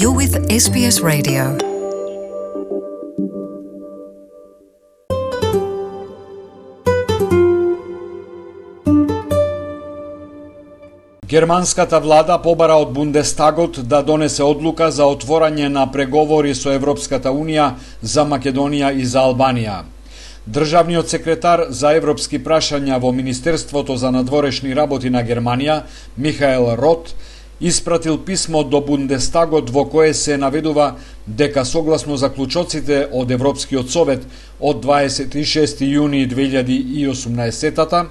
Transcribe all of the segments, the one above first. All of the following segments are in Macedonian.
You're with SBS Radio. Германската влада побара од Бундестагот да донесе одлука за отворање на преговори со Европската Унија за Македонија и за Албанија. Државниот секретар за европски прашања во Министерството за надворешни работи на Германија, Михаел Рот, испратил писмо до Бундестагот во кое се наведува дека согласно заклучоците од Европскиот совет од 26 јуни 2018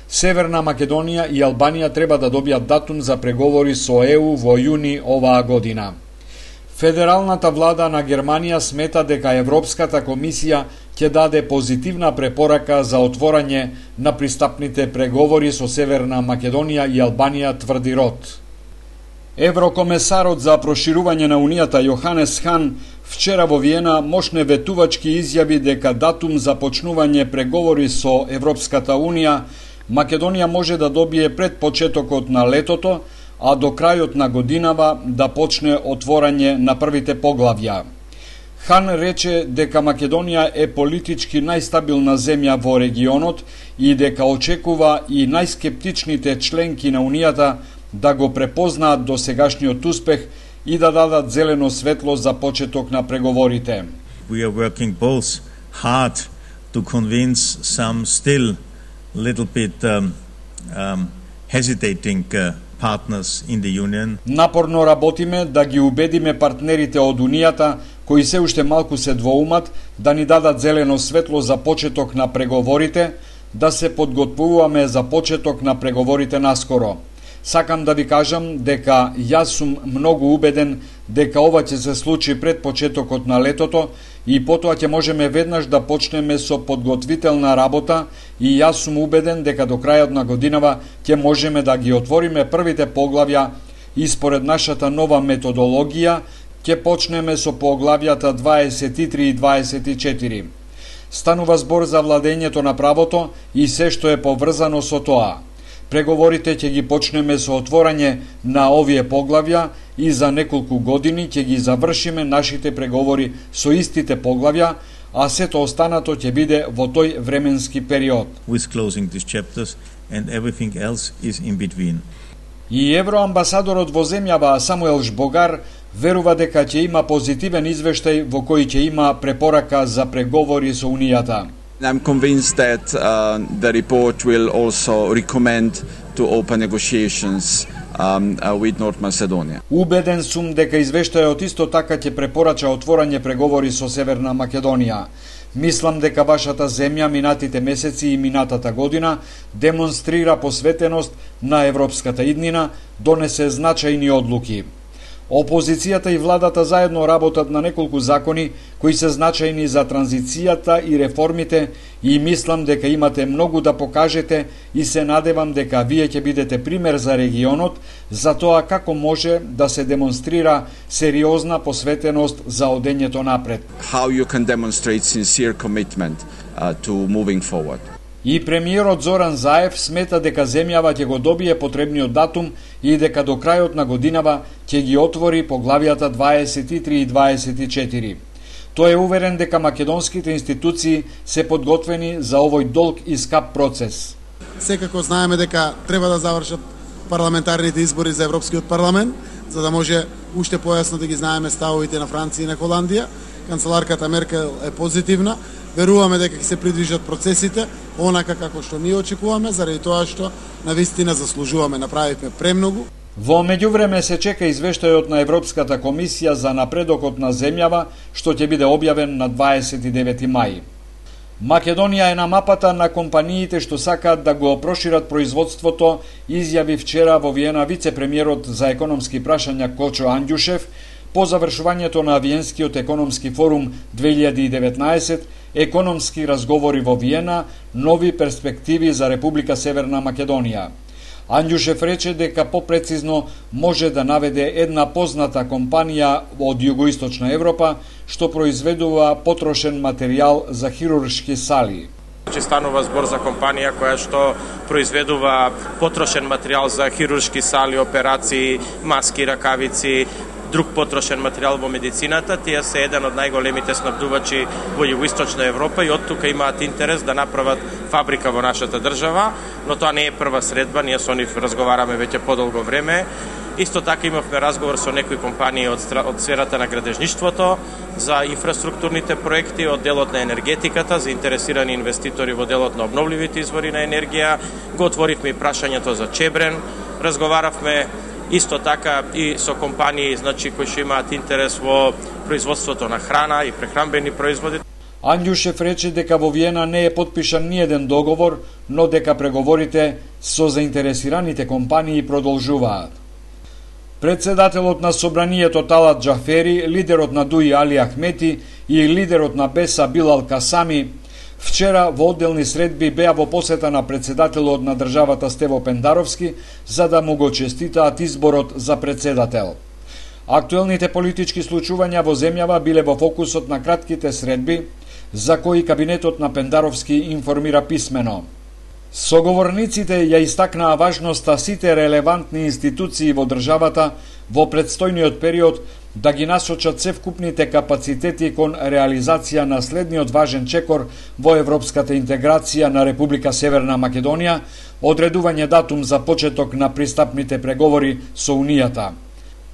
Северна Македонија и Албанија треба да добијат датум за преговори со ЕУ во јуни оваа година. Федералната влада на Германија смета дека Европската комисија ќе даде позитивна препорака за отворање на пристапните преговори со Северна Македонија и Албанија, тврди Рот. Еврокомесарот за проширување на Унијата Јоханес Хан вчера во Виена мощне ветувачки изјави дека датум за почнување преговори со Европската Унија Македонија може да добие пред почетокот на летото, а до крајот на годинава да почне отворање на првите поглавја. Хан рече дека Македонија е политички најстабилна земја во регионот и дека очекува и најскептичните членки на Унијата да го препознаат досегашниот успех и да дадат зелено светло за почеток на преговорите. We are working both hard to convince some still little bit hesitating partners in the union. Напорно работиме да ги убедиме партнерите од Унијата кои се уште малку се двоумат да ни дадат зелено светло за почеток на преговорите, да се подготвуваме за почеток на преговорите наскоро. Сакам да ви кажам дека јас сум многу убеден дека ова ќе се случи пред почетокот на летото и потоа ќе можеме веднаш да почнеме со подготвителна работа и јас сум убеден дека до крајот на годинава ќе можеме да ги отвориме првите поглавја и според нашата нова методологија ќе почнеме со поглавјата 23 и 24. Станува збор за владењето на правото и се што е поврзано со тоа. Преговорите ќе ги почнеме со отворање на овие поглавја и за неколку години ќе ги завршиме нашите преговори со истите поглавја, а сето останато ќе биде во тој временски период. With closing these chapters and everything else is in between. И евроамбасадорот во земјава Самуел Жбогар верува дека ќе има позитивен извештај во кој ќе има препорака за преговори со Унијата. I'm convinced that the report will also recommend to open negotiations with North Macedonia. Убеден сум дека извештајот исто така ќе препорача отворање преговори со Северна Македонија. Мислам дека вашата земја минатите месеци и минатата година демонстрира посветеност на европската иднина, донесе значајни одлуки. Опозицијата и владата заедно работат на неколку закони кои се значајни за транзицијата и реформите и мислам дека имате многу да покажете и се надевам дека вие ќе бидете пример за регионот за тоа како може да се демонстрира сериозна посветеност за одењето напред. How you can demonstrate sincere commitment to moving forward. И премиерот Зоран Заев смета дека земјава ќе го добие потребниот датум и дека до крајот на годинава ќе ги отвори поглавјата 23 и 24. Тој е уверен дека македонските институции се подготвени за овој долг и скап процес. Секако знаеме дека треба да завршат парламентарните избори за Европскиот парламент, за да може уште појасно да ги знаеме ставовите на Франција и на Холандија. Канцеларката Меркел е позитивна. Веруваме дека ќе се придвижат процесите онака како што ние очекуваме, заради тоа што навистина заслужуваме, направивме премногу. Во меѓувреме се чека извештајот на Европската комисија за напредокот на земјава, што ќе биде објавен на 29 мај. Македонија е на мапата на компаниите што сакаат да го прошират производството, изјави вчера во Виена вице-премиерот за економски прашања Кочо Анѓушев по завршувањето на Виенскиот економски форум 2019, економски разговори во Виена, нови перспективи за Република Северна Македонија. Анѓушев рече дека попрецизно може да наведе една позната компанија од југоисточна Европа што произведува потрошен материјал за хируршки сали. Станува збор за компанија која што произведува потрошен материјал за хируршки сали, операции, маски, ракавици, друг потрошен материјал во медицината. Тие се еден од најголемите снабдувачи во Југоисточна Европа и од тука имаат интерес да направат фабрика во нашата држава, но тоа не е прва средба, ние со нив разговараме веќе подолго време. Исто така имавме разговор со некои компании од сферата на градежништвото за инфраструктурните проекти, од делот на енергетиката, заинтересирани инвеститори во делот на обновливите извори на енергија. Го отворивме и прашањето за Чебрен, разговаравме исто така и со компании, значи, кои што имаат интерес во производството на храна и прехранбени производи. Андјушев рече дека во Виена не е потпишан ниеден договор, но дека преговорите со заинтересираните компании продолжуваат. Председателот на Собранието Талат Џафери, лидерот на ДУИ Али Ахмети и лидерот на БЕСА Билал Касами вчера во одделни средби беа во посета на председателот на државата Стево Пендаровски за да му го честитаат изборот за председател. Актуелните политички случувања во земјава биле во фокусот на кратките средби, за кои кабинетот на Пендаровски информира писмено. Соговорниците ја истакнаа важноста сите релевантни институции во државата во предстојниот период да ги насочат севкупните капацитети кон реализација на следниот важен чекор во европската интеграција на Република Северна Македонија, одредување датум за почеток на пристапните преговори со Унијата.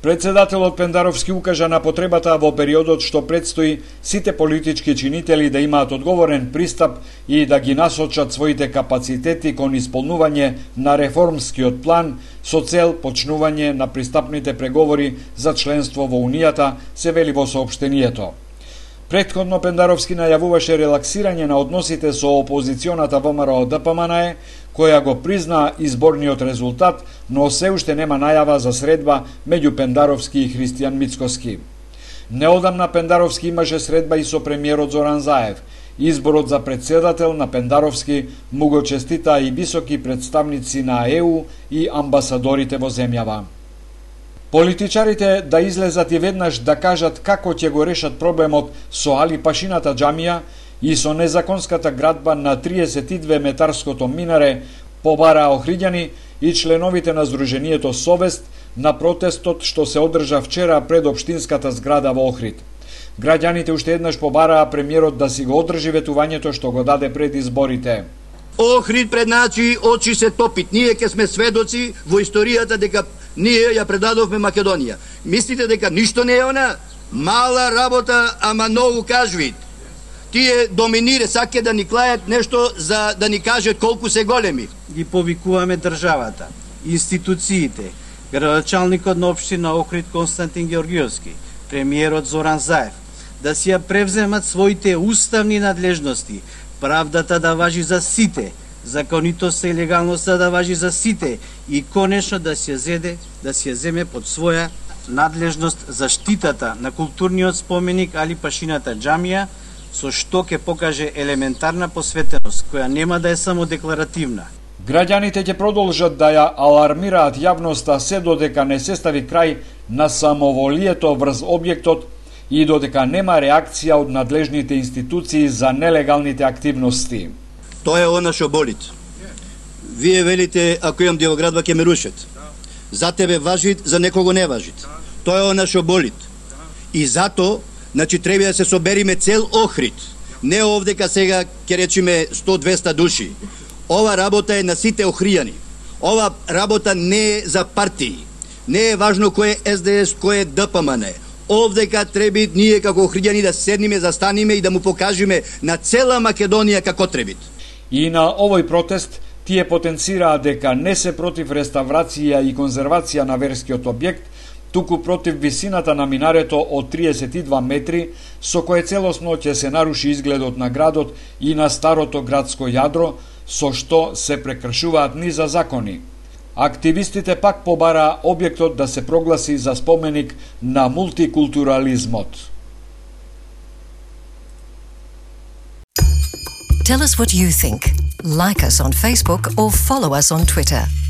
Председателот Пендаровски укажа на потребата во периодот што предстои сите политички чинители да имаат одговорен пристап и да ги насочат своите капацитети кон исполнување на реформскиот план со цел почнување на пристапните преговори за членство во Унијата, се вели во соопштението. Претходно Пендаровски најавуваше релаксирање на односите со опозиционата ВМРО ДПМНЕ, која го призна изборниот резултат, но се уште нема најава за средба меѓу Пендаровски и Христијан Мицкоски. Неодамна Пендаровски имаше средба и со премиерот Зоран Заев. Изборот за председател на Пендаровски му го честитаа и високи представници на ЕУ и амбасадорите во земјава. Политичарите да излезат и веднаш да кажат како ќе го решат проблемот со Али Пашината џамија и со незаконската градба на 32 метарското минаре, побараа Охриѓани и членовите на Сдруженијето Совест на протестот што се одржа вчера пред општинската зграда во Охрид. Граѓаните уште еднаш побараа премиерот да си го одржи ветувањето што го даде пред изборите. Охрид пред начи очи се топит. Ние ке сме сведоци во историјата дека ние ја предадовме Македонија. Мислите дека ништо не е она? Мала работа, ама многу кажвит. Тие доминире, саке да ни клајат нешто за да ни кажат колку се големи. Ги повикуваме државата, институциите, градоначалникот на општина Охрид Константин Георгиевски, премиерот Зоран Заев, да си ја превземат своите уставни надлежности, правдата да важи за сите, законитоста и легалноста да важи за сите и конечно да се земе под своја надлежност заштитата на културниот споменик Али Пашината џамија, со што ќе покаже елементарна посветеност, која нема да е само декларативна. Граѓаните ќе продолжат да ја алармираат јавноста се додека не се стави крај на самоволието врз објектот и додека нема реакција од надлежните институции за нелегалните активности. Тоа е она што болит. Вие велите, ако имам делоградба ќе ме рушат. За тебе важит, за некого не важит. Тоа е она што болит. И зато, значи, треба да се собериме цел Охрид. Не овдека сега ќе речиме 100-200 души. Ова работа е на сите охријани. Ова работа не е за партии. Не е важно кој е СДС, кој е ДПМН. Овдека треба ние како охријани да седниме, застаниме и да му покажеме на цела Македонија како требит. И на овој протест тие потенцираа дека не се против реставрација и конзервација на верскиот објект, туку против висината на минарето од 32 метри, со кое целосно ќе се наруши изгледот на градот и на старото градско јадро, со што се прекршуваат низа закони. Активистите пак побараа објектот да се прогласи за споменик на мултикултурализмот. Tell us what you think. Like us on Facebook or follow us on Twitter.